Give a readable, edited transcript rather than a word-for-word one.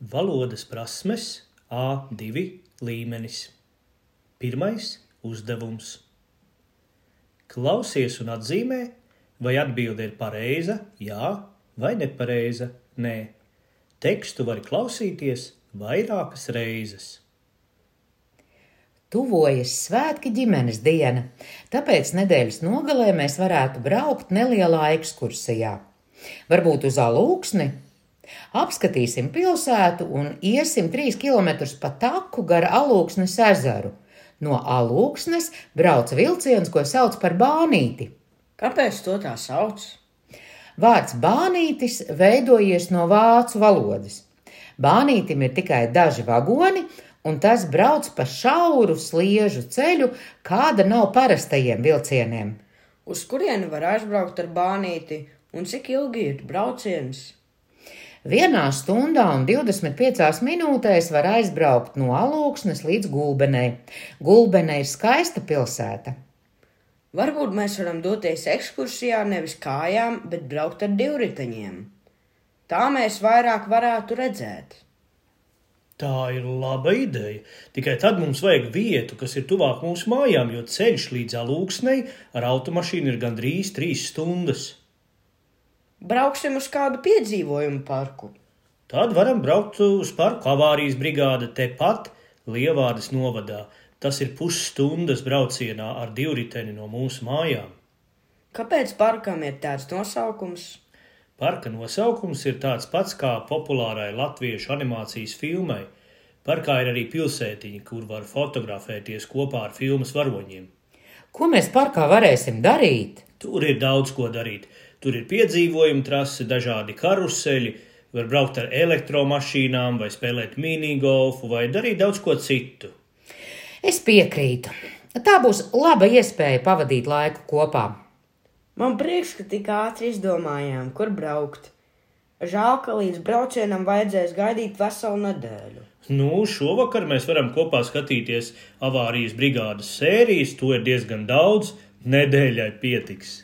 Valodas prasmes A2 līmenis. Pirmais uzdevums. Klausies un atzīmē, vai atbilde ir pareiza, jā, vai nepareiza, nē. Tekstu var klausīties vairākas reizes. Tuvojas svētki ģimenes diena, tāpēc nedēļas nogalē mēs varētu braukt nelielā ekskursijā. Varbūt uz Alūksni? Apskatīsim pilsētu un iesim 3 kilometrus pa taku gar Alūksnes ezeru. No Alūksnes brauc vilciens, ko sauc par Bānīti. Kāpēc to tā sauc? Vārds Bānītis veidojies no vācu valodas. Bānītim ir tikai daži vagoni, un tas brauc pa šauru sliežu ceļu, kāda nav parastajiem vilcieniem. Uz kurieni var aizbraukt ar Bānīti un cik ilgi ir brauciens? 1 stundā un 25 minūtēs var aizbraukt no Alūksnes līdz Gulbenei. Gulbenei ir skaista pilsēta. Varbūt mēs varam doties ekskursijā nevis kājām, bet braukt ar divriteņiem. Tā mēs vairāk varētu redzēt. Tā ir laba ideja, tikai tad mums vajag vietu, kas ir tuvāk mūsu mājām, jo ceļš līdz Alūksnei ar automašīnu ir gandrīz 3 stundas. Brauksim uz kādu piedzīvojumu parku. Tad varam braukt uz parku avārijas brigāde tepat Lievārdes novadā. Tas ir pusstundas braucienā ar divriteni no mūsu mājām. Kāpēc parkam ir tāds nosaukums? Parka nosaukums ir tāds pats kā populārai latviešu animācijas filmai. Parkā ir arī pilsētiņa, kur var fotografēties kopā ar filmas varoņiem. Ko mēs parkā varēsim darīt? Tur ir daudz ko darīt. Tur ir piedzīvojuma trase, dažādi karuseļi, var braukt ar elektromašīnām vai spēlēt minigolfu vai darīt daudz ko citu. Es piekrītu. Tā būs laba iespēja pavadīt laiku kopā. Man prieks, ka tik ātri izdomājām, kur braukt. Žēl, ka līdz braucienam vajadzēs gaidīt veselu nedēļu. Šovakar mēs varam kopā skatīties avārijas brigādes sērijas, to ir diezgan daudz, nedēļai pietiks.